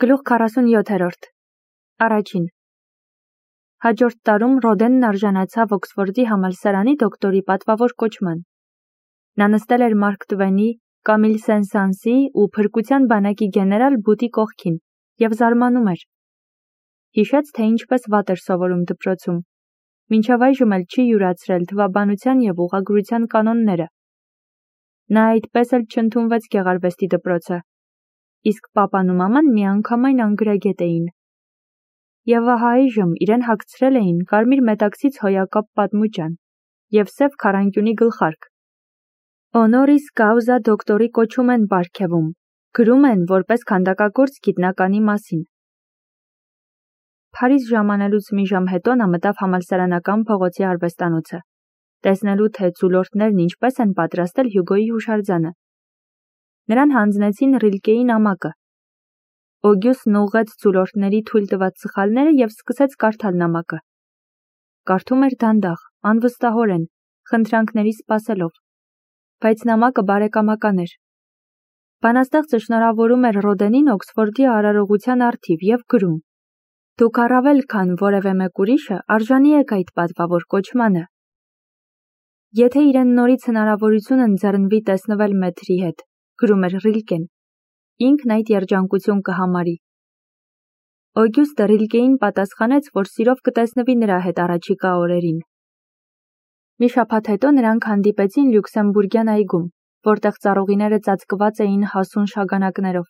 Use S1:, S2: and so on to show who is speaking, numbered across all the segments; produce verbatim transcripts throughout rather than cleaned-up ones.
S1: Գլուխ քառասունյոթերորդ Առաջին Հաջորդ տարում Ռոդենն արժանացավ Օքսֆորդի համալսարանի դոկտորի պատվավոր կոչման։ Նա նստել էր Մարկ Տվենի, Կամիլ Սեն-Սանսի ու փրկության բանակի գեներալ Բուտի կողքին և զարմանում էր։ Հիշեց, թե ինչպես վատ էր սովորում դպրոցում։ Մինչև այժմ էլ չի յուրացրել թվաբանության և ուղղագրության կանոնները։ Նա այդպես էլ չընդունվեց գեղարվեստի դպրոցը, իսկ պապան ու մաման միանգամայն անգրագետ էին։ Եվ ահա այժմ իրեն հագցրել էին կարմիր մետաքսից հոյակապ պատմուճան և սև քառանկյունի գլխարկ։ Օնորիս կաուզա դոկտորի կոչում են պարգևում, գրում են որպես քանդակագործ գիտնականի մասին։ Փարիզ ժամանելուց մի ժամ հետո նա մտավ համալսարանական փողոցի արվեստանոցը, տեսնելու թե ցուլորտներն ինչպես են պատրաստել Հյուգոյի հուշարձանը։ Նրան հանձնեցին Ռիլկեի նամակը։ Օգյուստն ուղղեց ցուլորտների թույլ տված սխալները և սկսեց կարդալ նամակը։ Կարդում էր դանդաղ, անվստահորեն, խնդրանքների սպասելով, բայց նամակը բարեկամական էր։ Բանաստեղծը շնորհավորում էր Ռոդենին Օքսֆորդի արարողության առթիվ և գրում. «Դուք առավել քան որևէ մեկ ուրիշը արժանի եք այդ պատվավոր կոչմանը»։ Եթե իրեն նորից հնարավորություն ընձեռնվի տեսնվել մեթրի հետ, գրում էր Ռիլկեն, ինքն այդ երջանկություն կհամարի։ Օգյուստը Ռիլկեին պատասխանեց, որ սիրով կտեսնվի նրա հետ առաջիկա օրերին։ Մի շաբաթ հետո նրանք հանդիպեցին Լյուքսեմբուրգյան այգում, որտեղ ծառուղիները ծածկված էին հասուն շագանակներով։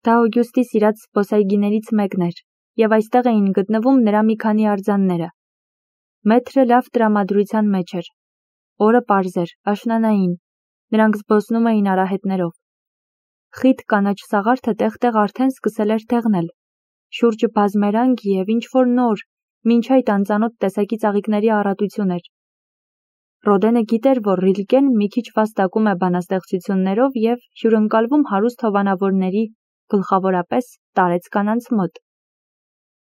S1: Դա Օգյուստի սիրած զբոսայգիներից մեկն էր, և այստեղ էին գտնվում նրա մի քանի արձանները։ Մեթրը լավ տրամադրության մեջ էր։ Օրը պարզ էր, աշնանային, նրանք զբոսնում էին արահետներով։ Խիտ կանաչ սաղարթը տեղ-տեղ արդեն սկսել էր դեղնել, շուրջը բազմերանգ և ինչ-որ նոր, մինչ այդ անծանոթ տեսակի ծաղիկների առատություն էր։ Ռոդենը գիտեր, որ Ռիլկեն մի քիչ վաստակում է բանաստեղծություններով և հյուրընկալվում հարուստ հովանավորների, գլխավորապես տարեց կանանց մոտ։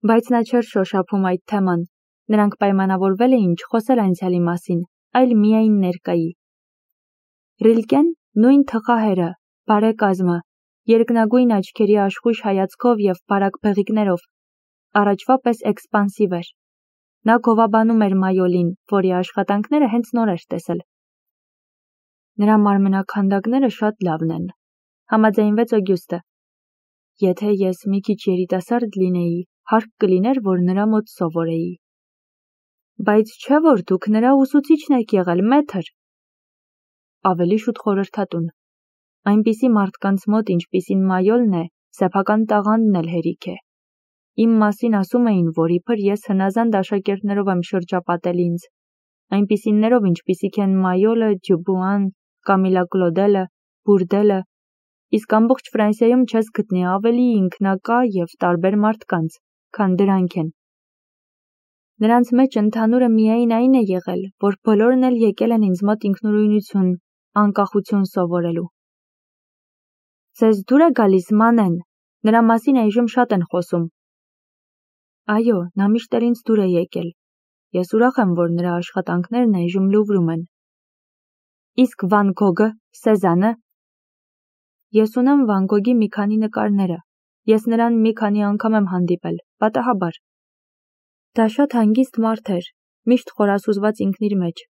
S1: Բայց նա չէր շոշափում այդ թեման, նրանք պայմանավորվել էին չխոսել անցյալի մասին, այլ միայն ներկայի։ Ռիլկեն, նույն թխահերը, բարեկազմը, երկնագույն աչքերի աշխույժ հայացքով և բարակ բեղիկներով, առաջվա պես էքսպանսիվ էր։ Նա գովաբանում էր Մայոլին, որի աշխատանքները հենց նոր էր տեսել։ Նրա մարմնաքանդակները շատ լավն են, համաձայնվեց Օգյուստը։ Եթե ես մի քիչ երիտասարդ լինեի, հարկ կլիներ, որ նրա մոտ սովորեի։ Բայց չէ՞ որ դուք նրա ուսուցիչն եք եղել, մեթր։ Ավելի շուտ խորհրդատուն։ Այնպիսի մարդկանց մոտ, ինչպիսին Մայոլն է, սեփական տաղանդն էլ հերիք է։ Իմ մասին ասում էին, որ իբր ես հնազանդ աշակերտներով եմ շրջապատել ինձ, այնպիսիներով, ինչպիսիք են Մայոլը, Դյուբուան, Կամիլա Կլոդելը, Բուրդելը, իսկ ամբողջ Ֆրանսիայում չես գտնի ավելի ինքնակա և տարբեր մարդկանց, քան դրանք են։ Նրանց մեջ ընդհանուրը միայն այն է եղել, որ բոլորն էլ եկել են ինձ մոտ ինքնուրույնություն, անկախություն սովորելու։ Ձեզ դուր է գալիս Մանեն, նրա մասին այժմ շատ են խոսում։ Այո, նա միշտ էլ ինձ դուր է եկել։ Ես ուրախ եմ, որ նրա աշխատանքներն այժմ Լուվրում են։ Իսկ Վան Գոգը, Սեզանը։ Ես ունեմ Վան Գոգի մի քանի նկարները։ Ես նրան մի քանի անգամ եմ հանդիպել, պատահաբար։ Դա շատ հանգիստ մարդ էր, միշտ խորասուզված ինքն իր մեջ։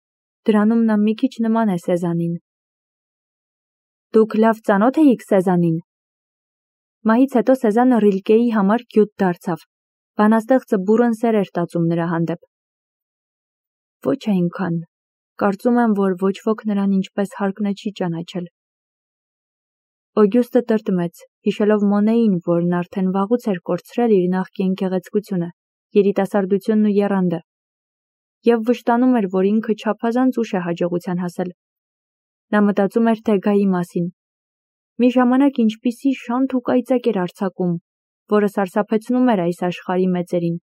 S1: Դրանում նա մի քիչ նման է Սեզանին։ Դուք լավ ծանոթ էիք Սեզանին։ Մահից հետո Սեզանը Ռիլկեի համար գյուտ դարձավ։ Բանաստեղծը բուռն սեր էր տածում նրա հանդեպ։ Ոչ այնքան։ Կարծում եմ, որ ոչ ոք նրան ինչպես հարկն է չի ճանաչել։ Օգյուստը տրտմեց, հիշելով Մոնեին, որն արդեն վաղուց էր կորցրել իր նախկին գեղեցկությունը, երիտասարդությունն ու եռանդը, և վշտանում էր, որ ինքը չափազանց ուշ է հաջողության հասել։ Նա մտածում էր Դեգայի մասին։ Մի ժամանակ ինչպիսի շանթ ու կայծակ էր արձակում, որը սարսափեցնում էր այս աշխարհի մեծերին։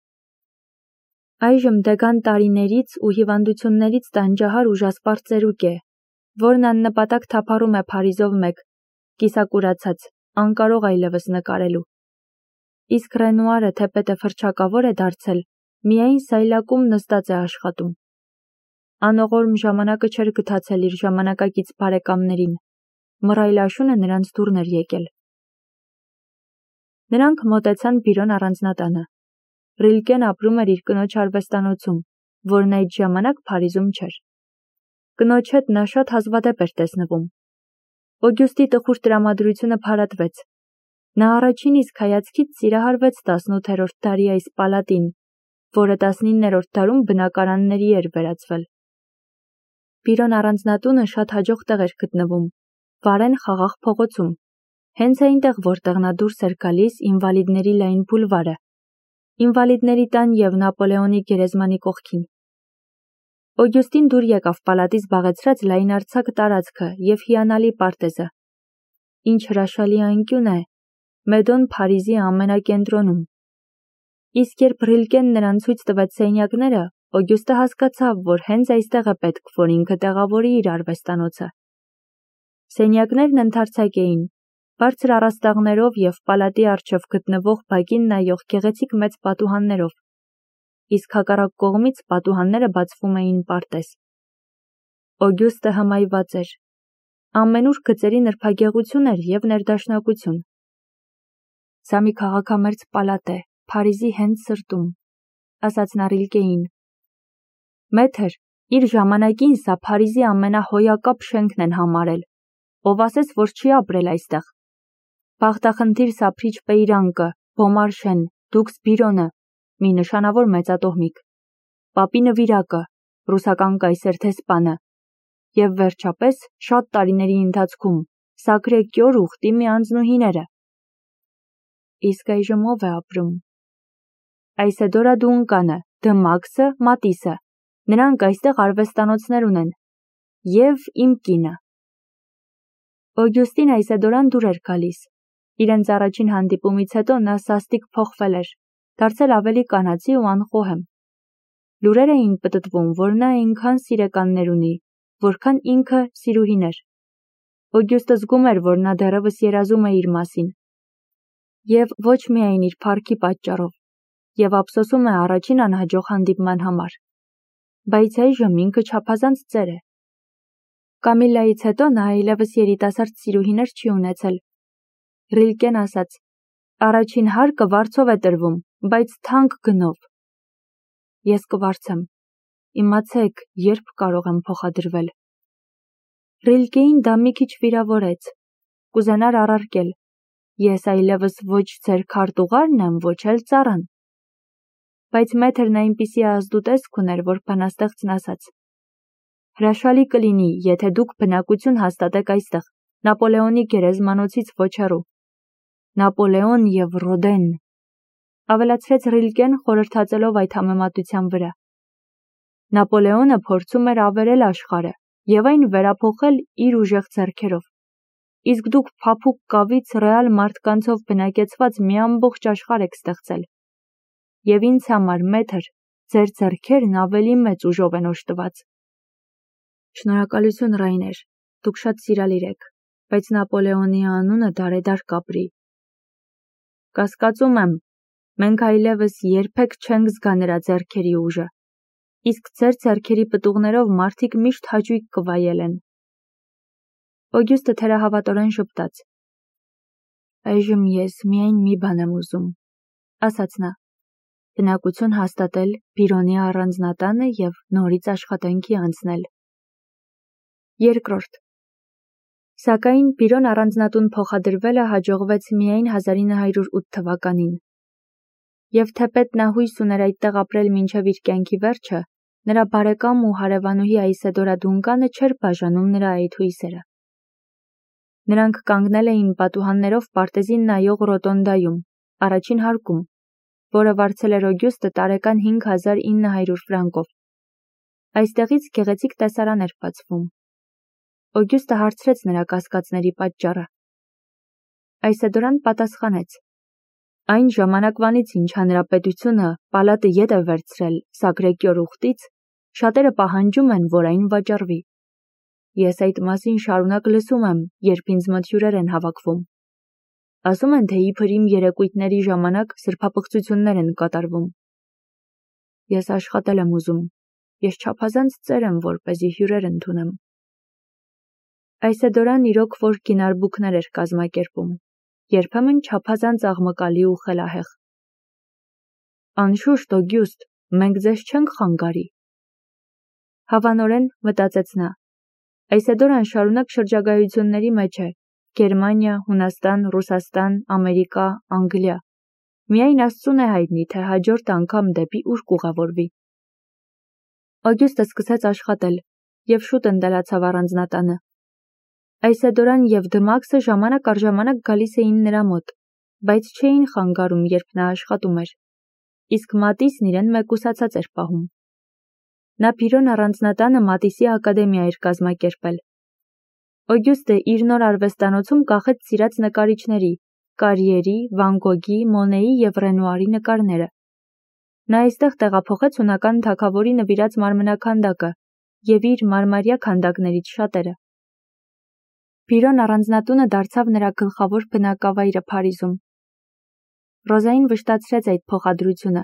S1: Այժմ Դեգան տարիներից ու հիվանդություններից տանջահար ուժասպառ ծերուկ է, որն աննպատակ թափառում է Փարիզով մեկ, կիսակուրացած, անկարող այլևս նկարելու։ Իսկ Ռենուարը թեպետ է ֆրչակավոր է դարձել, միայն սայլակում նստած է աշխատում։ Անողորմ ժամանակը չէր գթացել իր ժամանակակից բարեկամներին, մռայլ աշունը նրանց դուռն էր եկել։ Նրանք մոտեցան Բիրոն առանձնատանը։ Ռիլկեն ապրում էր իր կնոջ արվեստանոցում, որն այդ ժամանակ Փարիզում չէր։ Կնոջ հետ նա շատ հազվադեպ էր տեսնվում։ Օգյուստի տխուր տրամադրությունը փարատվեց։ Նա առաջին իսկ հայացքից սիրահարվեց տասնութերորդ դարի այս պալատին, որը տասնիններորդ դարում բնակարանների էր վերածվել։ Բիրոն առանձնատունը շատ հաջող տեղ էր գտնվում, Վարեն խաղաղ փողոցում, հենց այնտեղ, որտեղ նա դուրս էր գալիս ինվալիդների լայն բուլվարը, ինվալիդների տան և Նապոլեոնի գերեզմանի կողքին։ Օգյուստին դուր եկավ պալատից զբաղեցրած լայնարձակ տարածքը և հիանալի պարտեզը։ Ինչ հրաշալի անկյուն է, Մեդոն Փարիզի ամենակենտրոնում։ Իսկ երբ Ռիլկեն նրան ցույց տվեց սենյակները, Օգյուստը հասկացավ, որ հենց այստեղ է պետք, որ ինքը տեղավորի իր արվեստանոցը։ Սենյակներն ընդարձակ էին, բարձր առաստաղներով և պալատի առջև գտնվող բակին նայող գեղեցիկ մեծ պատուհաններով, իսկ հակառակ կողմից պատուհանները բացվում էին պարտեզ։ Օգյուստը հմայված էր։ Ամենուր գծերի նրբագեղություն էր և ներդաշնակություն։ Սա մի քաղաքամերձ պալատ է, Փարիզի հենց սրտում, ասաց նա Ռիլկեին։ Մեթր, իր ժամանակին սա Փարիզի ամենահոյակապ շենքն են համարել, ով ասես, որ չի ապրել այստեղ։ Բախտախնդիր սափրիչ Պեյրանկը, Բոմարշեն, Դուքս Բիրոնը, մի նշանավոր մեծատոհմիկ, Պապի նվիրակը, ռուսական կայսեր դեսպանը, և վերջապես, շատ տարիների ընթացքում, Սակրե Կյոր ուխտի մի անձնուհիները։ Իսկ այժմ ով է ապրում։ Այսեդորա Դունկանը, Դը Մաքսը, Մատիսը, նրանք այստեղ արվեստանոցներ ունեն, և իմ կինը։ Օգյուստին Այսեդորան դուր էր գալիս։ Իրենց առաջին հանդիպումից հետո նա սաստիկ փոխվել էր, դարձել ավելի կանացի ու անխոհեմ։ Լուրեր էին պտտվում, որ նա այնքան սիրեկաններ ունի, որքան ինքը սիրուհիներ։ Օգյուստը զգում էր, որ նա դեռևս երազում է իր մասին։ Եվ ոչ միայն իր փառքի պատճառով, և ափսոսում է առաջին անհաջող հանդիպման համար։ Բայց այժմ ինքը չափազանց ծեր է։ Կամիլլայից հետո նա այլևս երիտասարդ սիրուհիներ չի ունեցել։ Ռիլկեն ասաց. առաջին հարկը վարձով է տրվում, բայց թանկ գնով։ Ես կվարձեմ։ Իմացեք, երբ կարող եմ փոխադրվել։ Ռիլկեին դա մի քիչ վիրավորեց։ Կուզենար առարկել. Ես այլևս ոչ ձեր քարտուղարն եմ, ոչ էլ ծառան։ Բայց մեթրն այնպիսի ազդու տեսք ուներ, որ բանաստեղծն ասաց. հրաշալի կլինի, եթե դուք բնակություն հաստատեք այստեղ, Նապոլեոնի գերեզմանոցից ոչ հեռու։ Նապոլեոն և Ռոդեն, ավելացրեց Ռիլկեն խորհրդածելով այդ համեմատության վրա։ Նապոլեոնը փորձում էր ավերել աշխարհը և այն վերափոխել իր ուժեղ ձեռքերով, իսկ դուք փափուկ կավից ռեալ մարդկանցով բնակեցված մի ամբողջ աշխարհ եք ստեղծել։ Եվ ինձ համար, մեթր, ձեր ձեռքերն ավելի մեծ ուժով են օժտված։ Շնորհակալություն, Ռայներ, դուք շատ սիրալիր եք, բայց Նապոլեոնի անունը դարեդար կապրի։ Կասկածում եմ, մենք այլևս երբեք չենք զգա նրա ձեռքերի ուժը, իսկ ձեր ձեռքերի պտուղներով մարդիկ միշտ հաճույք կվայելեն։ Օգյուստը թերահավատորեն ժպտաց։ Այժմ ես միայն մի բան եմ ուզում, ասաց նա, բնակություն հաստատել Բիրոնի առանձնատանը և նորից աշխատանքի անցնել։ Երկրորդ։ Սակայն Բիրոն առանձնատուն փոխադրվելը հաջողվեց միայն հազար ինը հարյուր ութ թվականին։ Եվ թեպետ նա հույս ուներ այդտեղ ապրել մինչև իր կյանքի վերջը, նրա բարեկամ ու հարևանուհի Այսեդորա Դունկանը չէր բաժանում նրա այդ հույսերը։ Նրանք կանգնել էին պատուհաններով պարտեզին նայող ռոտոնդայում, առաջին հարկում, որը վարձել էր Օգյուստը տարեկան հինգ հազար ինը հարյուր ֆրանկով։ Այստեղից գեղեցիկ տեսարան էր բացվում։ Օգյուստը հարցրեց նրա կասկածների պատճառը։ Այսեդորան պատասխանեց. Այն ժամանակվանից, ինչ հանրապետությունը պալատը ետ է վերցրել Սակրե Կյոր ուխտից, շատերը պահանջում են, որ այն վաճառվի։ Ես այդ մասին շարունակ լսում եմ, երբ ինձ մոտ հյուրեր են հավաքվում։ Ասում են, թե իբր իմ երեկույթների ժամանակ սրբապղծություններ են կատարվում։ Ես աշխատել եմ ուզում, ես չափազանց ծեր եմ, որպեսզի հյուրեր ընդունեմ։ Այսեդորան իրոք որ գինարբուքներ էր կազմակերպում, երբեմն չափազանց աղմկալի ու խելահեղ։ Անշուշտ, Օգյուստ, մենք ձեզ չենք խանգարի։ Հավանորեն մտածեց նա։ Այսեդորան շարունակ շրջագայությունների մեջ է. Գերմանիա, Հունաստան, Ռուսաստան, Ամերիկա, Անգլիա։ Միայն Աստծուն է հայտնի, թե հաջորդ անգամ դեպի ուր կուղևորվի։ Օգյուստը սկսեց աշխատել և շուտ ընտելացավ առանձնատանը։ Այսեդորան և Դմաքսը ժամանակ առ ժամանակ գալիս էին նրա մոտ, բայց չէին խանգարում, երբ նա աշխատում էր։ Իսկ Մատիսն իրեն մեկուսացած էր պահում։ Նա Պիրոն առանձնատանը Մատիսի ակադեմիա էր կազմակերպել։ Օգյուստը իր նոր արվեստանոցում կախեց սիրած նկարիչների՝ Կարիերի, Վան Գոգի, Մոնեի և Ռենուարի նկարները։ Նա այստեղ տեղափոխեց հունական թագավորի նվիրած մարմնաքանդակը և իր մարմարյա քանդակներից շատերը։ Պիրոն առանձնատունը դարձավ նրա գլխավոր բնակավայրը Փարիզում։ Ռոզային վշտացրեց այդ փոխադրությունը։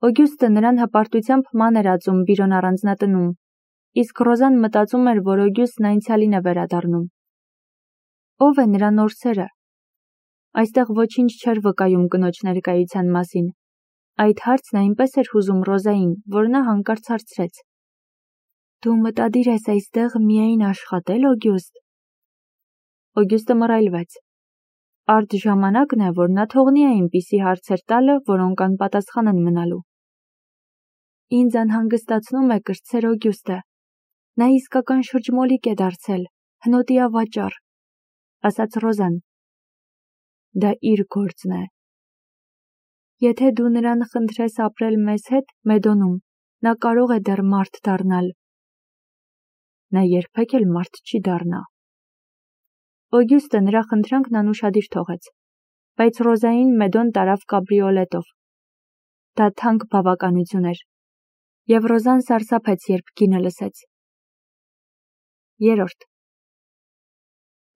S1: Օգյուստը նրան հպարտությամբ ման էր ածում Պիրոն առանձնատնում, իսկ Ռոզան մտածում էր, որ Օգյուստն անցյալին է վերադառնում։ Ո՞վ է նրա նոր սերը։ Այստեղ ոչինչ չէր վկայում կնոջ ներկայության մասին։ Այդ հարցն այնպես էր հուզում Ռոզային, որ նա հանկարծ հարցրեց. Դու մտադիր ես այստեղ միայն աշխատել, Օգյուստ։ Օգյուստը մռայլվեց։ Արդ ժամանակն է, որ նա թողնի այնպիսի հարցեր տալը, որոնք անպատասխան են մնալու։ Ինձ անհանգստացնում է կրտսեր Օգյուստը։ Նա իսկական շրջմոլիկ է դարձել, հնոտի ավաճառ, ասաց Ռոզան։ Դա իր գործն է։ Եթե դու նրան խնդրես ապրել մեզ հետ Մեդոնում, նա կարող է դեռ մարդ դառնալ։ Նա երբեք էլ մարդ չի դառնա։ Օգյուստը նրա խնդրանքն անուշադիր թողեց, բայց Ռոզային Մեդոն տարավ կաբրիոլետով։ Դա թանկ բավականություն էր, և Ռոզան սարսափեց, երբ գինը լսեց։ Երորդ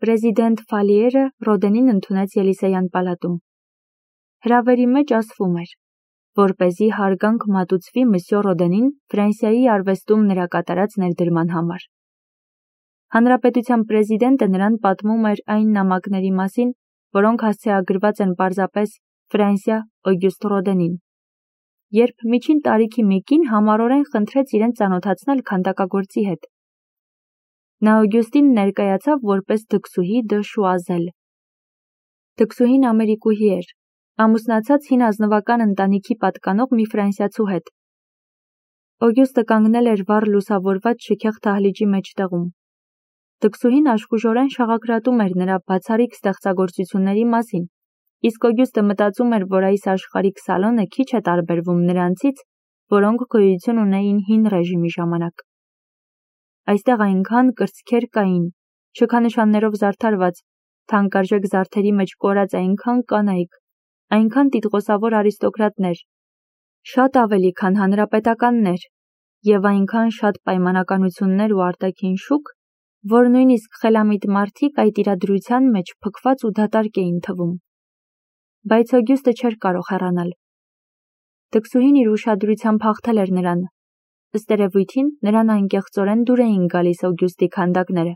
S1: Պրեզիդենտ Ֆալիերը Ռոդենին ընդունեց Ելիսեյան պալատում։ Հրավերի մեջ ասվում էր, որպեսզի հարգանք մատուցվի Մսյո Ռոդենին Ֆրանսիայի արվեստում նրա կատարած ներդրման համար։ Հանրապետության պրեզիդենտը նրան պատմում էր այն նամակների մասին, որոնք հասցեագրված են պարզապես Ֆրանսիա Օգյուստ Ռոդենին։ Երբ միջին տարիքի մի կին համառորեն խնդրեց իրեն ծանոթացնել քանդակագործի հետ։ Նա Օգյուստին ներկայացավ որպես դքսուհի դը Շուազել։ Դքսուհին ամերիկուհի էր, ամուսնացած հին ազնվական ընտանիքի պատկանող մի ֆրանսիացու հետ։ Օգյուստը կանգնել էր վառ լուսավորված շքեղ դահլիճի մեջտեղում։ Դքսուհին աշխուժորեն շաղակրատում էր նրա բացառիկ ստեղծագործությունների մասին, իսկ Օգյուստը մտածում էր, որ այս աշխարհիկ սալոնը քիչ է տարբերվում նրանցից, որոնք գոյություն ունեին հին ռեժիմի ժամանակ։ Այստեղ այնքան կրծքեր կային, շքանշաններով զարդարված, թանկարժեք զարդերի մեջ կորած այնքան կանայք, այնքան տիտղոսավոր արիստոկրատներ, շատ ավելի, քան հանրապետականներ, և այնքան շատ պայմանականություններ ու արտաքին շուք, որ նույնիսկ խելամիտ մարդիկ այդ իրադրության մեջ փքված ու դատարկ էին թվում։ Բայց Օգյուստը չէր կարող հեռանալ։ Դքսուհին իր ուշադրությամբ հաղթել էր նրան։ Ըստ երևույթին, նրան անկեղծորեն դուր էին գալիս Օգյուստի քանդակները։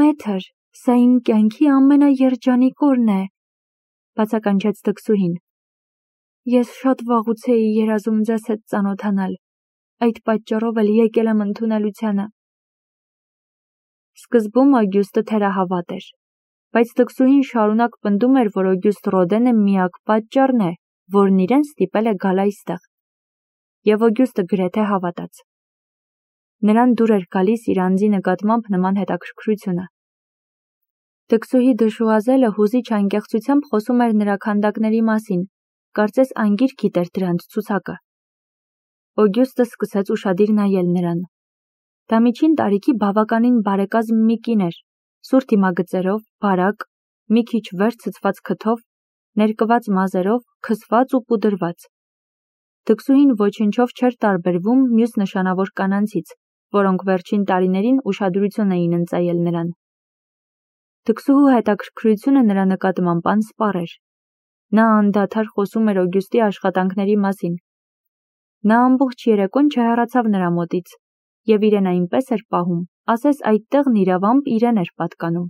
S1: Մեթր, սա իմ կյանքի ամենաերջանիկ օրն է, բացականչեց դքսուհին։ Ես շատ վաղուց էի երազում ձեզ հետ ծանոթանալ, այդ պատճառով էլ եկել եմ ընդունելությանը։ Սկզբում Օգյուստը թերահավատ էր, բայց դքսուհին շարունակ պնդում էր, որ Օգյուստ Ռոդենը միակ պատճառն է, որն իրեն ստիպել է գալ այստեղ։ Եվ Օգյուստը գրեթե հավատաց։ Նրան դուր էր գալիս իր անձի նկատմամբ նման հետաքրքրությունը։ Դքսուհի դը Շուազելը հուզիչ անկեղծությամբ խոսում էր նրա քանդակների մասին, կարծես անգիր գիտեր դրանց ցուցակը։ Օգյուստը սկսեց ուշադիր նայել նրան։ Դա միջին տարիքի բավականին բարեկազմ մի կին էր, սուր դիմագծերով, բարակ, մի քիչ վեր ցցված քթով, ներկված մազերով, քսված ու պուդրված։ Դքսուհին ոչնչով չէր տարբերվում մյուս նշանավոր կանանցից, որոնք վերջին տարիներին ուշադրություն էին ընծայել նրան։ Դքսուհու հետաքրքրությունը նրա նկատմամբ անսպառ էր։ Նա անդադար խոսում էր Օգյուստի աշխատանքների մասին։ Նա ամբողջ երեկոն չհեռացավ նրա մոտից, և իրեն այնպես էր պահում, ասես այդ տեղն իրավամբ իրեն էր պատկանում։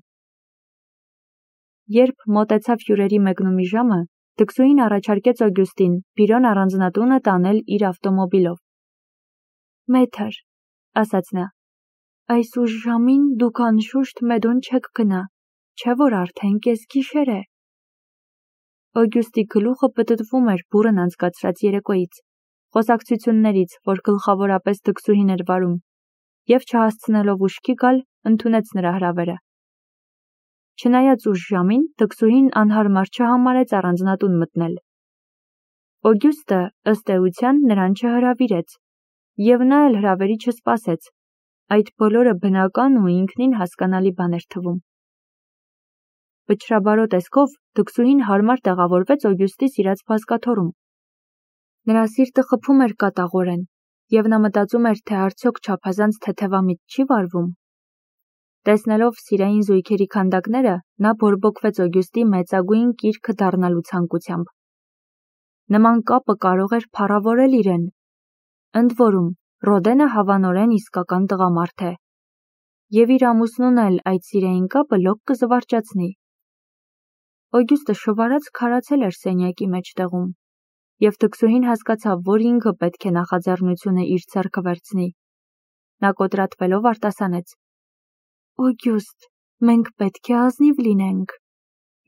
S1: Երբ մոտեցավ հյուրերի մեկնումի ժամը, դքսուհին առաջարկեց Օգյուստին Բիրոն առանձնատունը տանել իր ավտոմոբիլով։ Մեթր, ասաց նա, այս ուշ ժամին դուք անշուշտ մեդոն չեք գնա, չէ որ արդեն կեսգիշեր է։ Օգյուստի գլուխը պտտվում էր բուռն անցկացրած երեկոյից, խոսակցություններից, որ գլխավորապես դքսուհին էր վարում, և չհասցնելով ուշքի գալ, ընդունեց նրա հրավերը։ Չնայած ուշ ժամին, դքսուհին անհարմար չհամարեց առանձնատուն մտնել։ Օգյուստը, ըստ էության, նրան չհրավիրեց, և նա էլ հրավերի չսպասեց, այդ բոլորը բնական ու ինքնին հասկանալի բան էր թվում։ Վճռաբարո տեսքով դքսուհին հարմար տեղավորվեց Օգյուստի սիրած բազկաթոռում։ Նրա սիրտը խփում էր կատաղորեն, և նա մտածում էր, թե արդյոք չափազանց թեթևամիտ չի վարվում։ Տեսնելով սիրային զույգերի քանդակները, նա բորբոքվեց Օգյուստի մեծագույն կիրքը դառնալու ցանկությամբ։ Նման կապը կարող էր փառավորել իրեն։ Ընդ որում, Ռոդենը հավանորեն իսկական տղամարդ է, և իր ամուսնուն էլ այդ սիրային կապը լոկ կզվարճացնի։ Օգյուստը շվարած քարացել էր սենյակի մեջտեղում, և դքսուհին հասկացավ, որ ինքը պետք է նախաձեռնությունը իր ձեռքը վերցնի։ Նա կոտրատվելով արտասանեց. Օգյուստ, մենք պետք է ազնիվ լինենք։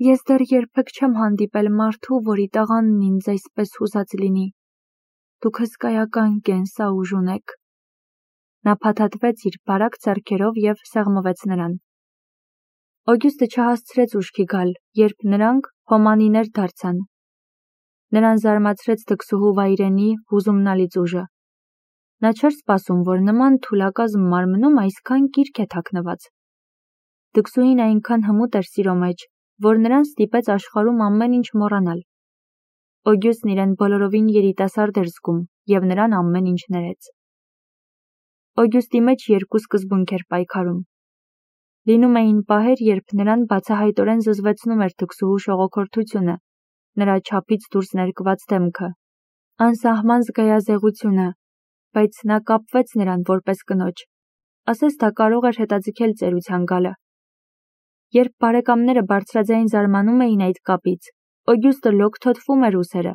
S1: Ես դեռ երբեք չեմ հանդիպել մարդու, որի տղանն ինձ այսպես հուզած լինի։ Դուք հսկայական կենսաուժ ունեք։ Նա փաթաթվեց իր բարակ ձեռքերով և սեղմվեց նրան։ Օգյուստը չհասցրեց ուշքի գալ, երբ նրանք հոմանիներ դարձան։ Նրան զարմացրեց դքսուհու վայրենի, հուզումնալից ուժը։ Նա չէր սպասում, որ նման թուլակազմ մարմնում այսքան կիրք է թաքնված։ Դքսուհին այնքան հմուտ էր սիրո մեջ, որ նրան ստիպեց աշխարհում ամեն ինչ մոռանալ։ Օգյուստն իրեն բոլորովին երիտասարդ էր զգում, և նրան ամեն ինչ ներեց։ Օգյուստի մեջ երկու սկզբունք էր պայքարում։ Լինում էին պահեր, երբ նրան բացահայտորեն զզվեցնում էր դքսուհու շողոքորթությունը, նրա չափից դուրս ներկված դեմքը, անսահման զգայազեղությունը, բայց նա կապվեց նրան որպես կնոջ, ասես դա կարող էր հետաձգել ծերության գալը։ Երբ բարեկամները բարձրաձայն զարմանում էին այդ կապից, Օգյուստը լոկթոթվում էր ուսերը։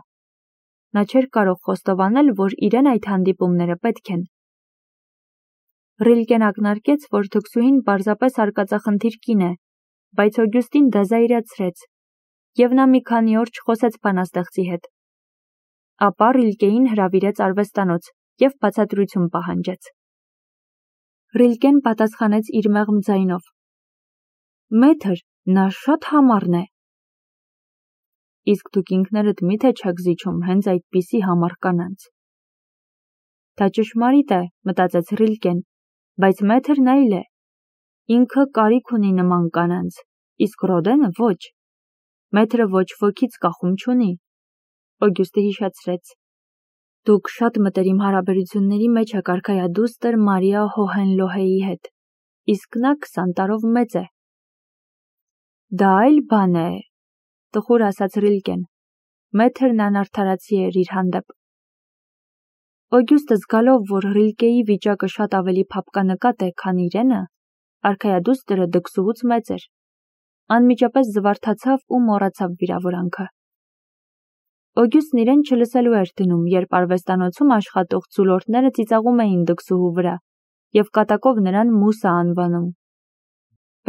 S1: Նա չէր կարող խոստովանել, որ իրեն այդ հանդիպումները պետք են։ Ռիլկեն ակնարկեց, որ դքսուհին պարզապես արկածախնդիր կին է, բայց Օգյուստին դա զայրացրեց, և նա մի քանի օր չխոսեց բանաստեղծի հետ։ Ապա Ռիլկեին հրավիրեց արվեստանոց և բացատրություն պահանջեց։ Ռիլկեն պատասխանեց իր մեղմ ձայնով. Մեթր, նա շատ համառն է։ Իսկ դուք ինքներդ միթե չեք զիջում հենց այդպիսի համառ կանանց։ Դա ճշմարիտ է, մտածեց Ռիլկեն, բայց Մեթրն այլ է։ Ինքը կարիք ունի նման կանանց, իսկ Ռոդենը ոչ։ Մեթրը ոչ ոքից կախում չունի։ Օգյուստը հիշեցրեց. Դուք շատ մտերիմ հարաբերությունների մեջ եք արքայադուստր Մարիա Հոհենլոհեի հետ, իսկ նա քսան տարով մեծ է։ Դա այլ բան է, տխուր ասաց Ռիլկեն։ Մեթրն անարդարացի էր իր հանդեպ։ Օգյուստը զգալով, որ Ռիլկեի վիճակը շատ ավելի փափկանկատ է, քան իրենը, արքայադուստրը դքսուհուց մեծ էր։ Անմիջապես զվարթացավ ու մոռացավ վիրավորանքը։ Օգյուստն իրեն չլսելու էր դնում, երբ արվեստանոցում աշխատող ձուլորդները ծիծաղում էին դքսուհու վրա և կատակով նրան Մուսա անվանում։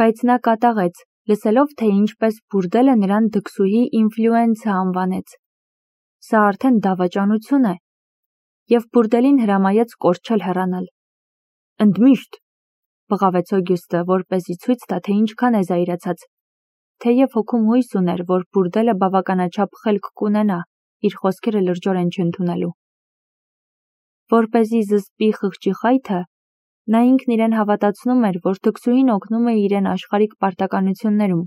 S1: Բայց նա կատաղեց, լսելով, թե ինչպես բուրդելը նրան դքսուհի ինֆլուենցա անվանեց։ Սա արդեն դավաճանություն է, և բուրդելին հրամայեց կորչել հեռանալ։ Ընդմիշտ, բղավեց Օգյուստը, որպեսզի ցույց տա, թե ինչքան է զայրացած, թեև հոգում հույս ուներ, որ բուրդելը բավականաչափ խելք կունենա իր խոսքերը լրջորեն չընդունելու։ Որպեսզի զսպի խղճի խայթը, նա ինքն իրեն հավատացնում էր, որ դքսուհին օգնում է իրեն աշխարհիկ պարտականություններում,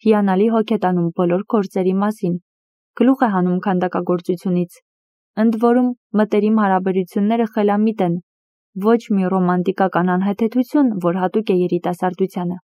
S1: հիանալի հոգ է տանում բոլոր գործերի մասին, գլուխ է հանում քանդակագործությունից, ընդ որում մտերիմ հարաբերությունները խելամիտ են, ոչ մի ռոմանտիկական անհեթեթություն, որ հատուկ է երիտասարդությանը։